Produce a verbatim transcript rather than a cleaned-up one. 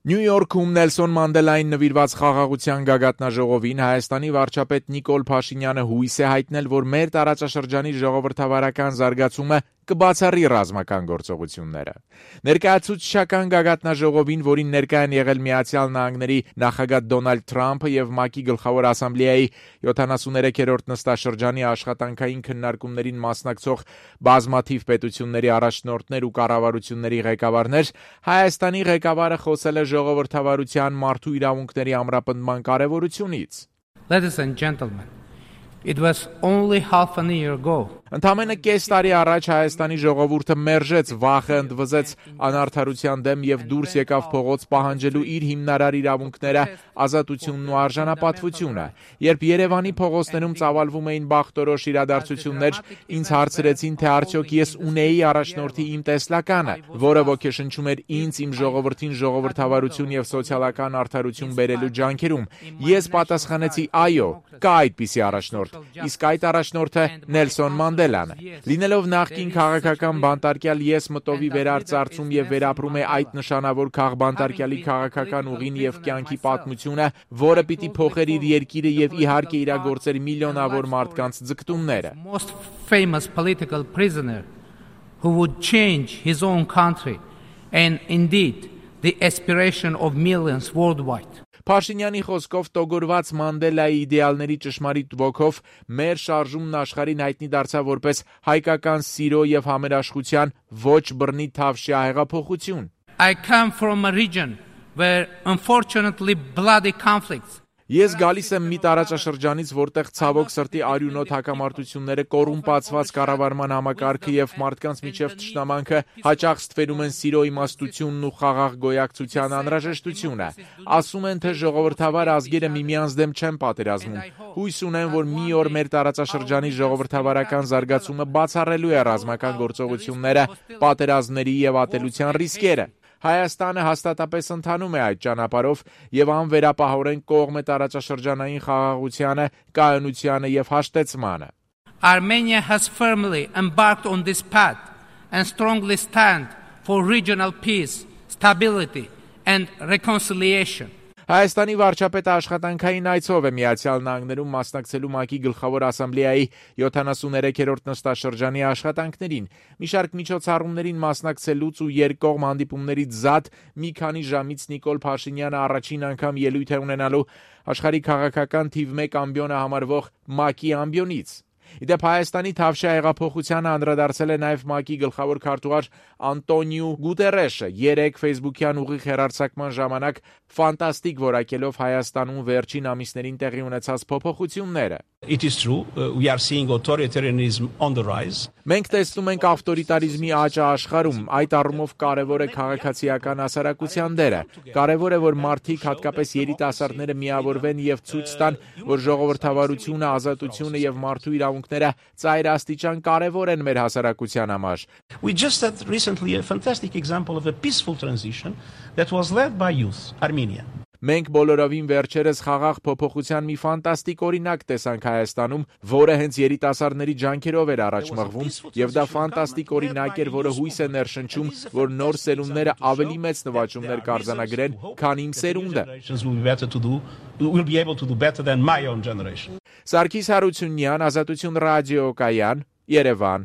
Նյու Յորքում Նելսոն Մանդելային նվիրված խաղաղության գագաթնաժողովին Հայաստանի վարչապետ Նիկոլ Փաշինյանը հույս է հայտնել, որ մեր տարածաշրջանի ժողովրդավարական զարգացումը կբացառի ռազմական գործողությունները։ Ներկայացուցչական գագաթնաժողովին, որին ներկա են եղել Միացյալ Նահանգների նախագահ Դոնալդ Թրամփը եւ ՄԱԿ-ի գլխավոր ասամբլեայի յոթանասուններեքերորդ նստաշրջանի աշխատանքային քննարկումներին մասնակցող բազմաթիվ պետությունների առաջնորդներ ու կառավարությունների ղեկավարներ, Հայաստանի ղեկավարը խոսել է ժողովրդավարության մարդու իրավունքների ամրապնդման կարևորությունից։ Ladies and gentlemen, it was only half a year ago. Ընդամենը կես տարի առաջ Հայաստանի ժողովուրդը մերժեց, վախը ընդվզեց անարդարության դեմ եւ դուրս եկավ փողոց պահանջելու իր հիմնարար իրավունքները, ազատությունն ու արժանապատվությունը։ Երբ Երևանի փողոցներում ծավալվում էին բախտորոշ իրադարձություններ, ինձ հարցրեցին, թե արդյոք ես ունեի առաջնորդի իմ տեսլականը, որը ոգեշնչում էր ինձ, իմ ժողովրդին ժողովրդավարություն եւ սոցիալական արդարություն բերելու ջանքերում։ Ես պատասխանեցի՝ այո, կա այդպիսի առաջնորդ, իսկ այդ առաջնորդը Նելսոն Մանդելան է։ Լինելով նախկին քաղաքական բանտարկյալ, ես մտովի վերարծարծում եւ վերապրում է այդ նշանավոր քաղբանտարկյալի քաղաքական ուղին եւ կյանքի պատմությունը, որը պիտի փոխեր իր երկիրը եւ իհարկե իրագործեր միլիոնավոր մարդկանց ձգտումները։ Most famous political prisoner who would change his own country and indeed the aspiration of millions worldwide. Փաշինյանի խոսքով տոգորված Մանդելայի իդեալների ճշմարիտ ոգով մեր շարժումն աշխարհին հայտնի դարձավ որպես հայկական սիրո եւ համերաշխության ոչ բռնի թավշյա հեղափոխություն։ I come from a region where unfortunately bloody conflicts. Ես գալիս եմ մի տարածաշրջանից, որտեղ ցավոք սրտի արյունոտ հակամարտությունները, կոռումպացված կառավարման համակարգը եւ մարդկանց միջև թշնամանքը հաճախ ստվերում են սիրո իմաստությունն ու խաղաղ գոյակցության անհրաժեշտությունը։ Ասում են, թե ժողովրդավար ազգերը միմյանց դեմ չեն պատերազմում։ Հույս ունեն, որ մի օր մեր տարածաշրջանի ժողովրդավարական զարգացումը բացառելու է ռազմական գործողությունները, պատերազմների եւ ատելության ռիսկերը։ Հայաստանը հաստատապես ընթանում է այդ ճանապարհով եւ անվերապահորեն կողմ է տարածաշրջանային խաղաղությանը, կայունությանը եւ հաշտեցմանը։ Armenia has firmly embarked on this path and strongly stand for regional peace, stability and reconciliation. Հայաստանի վարչապետը աշխատանքային այցով է Միացյալ Նահանգներում մասնակցելու ՄԱԿ-ի գլխավոր ասամբլեայի յոթանասուններեքերորդ նստաշրջանի աշխատանքներին։ Մի շարք միջոցառումներին մասնակցելուց ու երկկողմ հանդիպումներից զատ մի քանի ժամից Նիկոլ Փաշինյանը առաջին անգամ ելույթ է ունենալու աշխարհի քաղաքական թիվ մեկ ամբիոնը համարվող ՄԱԿ-ի ամբիոնից։ Իդեպ Հայաստանի թավշյա հեղափոխությանը անդրադարձել է նաև ՄԱԿ-ի գլխավոր քարտուղար Անտոնիո Գուտերեշը երեկ ֆեյսբուքյան ուղիղ հեռարձակման ժամանակ ֆանտաստիկ որակելով Հայաստանում վերջին ամիսներին տեղի ունեցած փոփոխությունները։ It is true, uh, we are seeing authoritarianism on the rise. Մենք տեսնում ենք ավտորիտարիզմի աճը աշխարհում, այդ առումով կարևոր է քաղաքացիական հասարակության դերը։ Կարևոր է, որ մարդիկ, հատկապես երիտասարդները միավորվեն եւ ցույց տան, որ ժողովրդավարությունը, ազատությունը եւ մարդու իրավունքները ծայրաստիճան կարևոր են մեր հասարակության համար։ We just had recently a fantastic example of a peaceful transition that was led by youth, Armenia. Մենք բոլորովին վերջերս խաղաղ փոփոխության մի ֆանտաստիկ օրինակ տեսանք Հայաստանում, որը հենց երիտասարդների ջանքերով էր առաջ մղվում, եւ դա ֆանտաստիկ օրինակ էր, որը հույս է ներշնչում, որ նոր սերունդները ավելի մեծ նվաճումներ կարձանագրեն, քան իմ սերունդը։ Սարգիս Հարությունյան, Ազատություն ռադիոկայան, Երևան։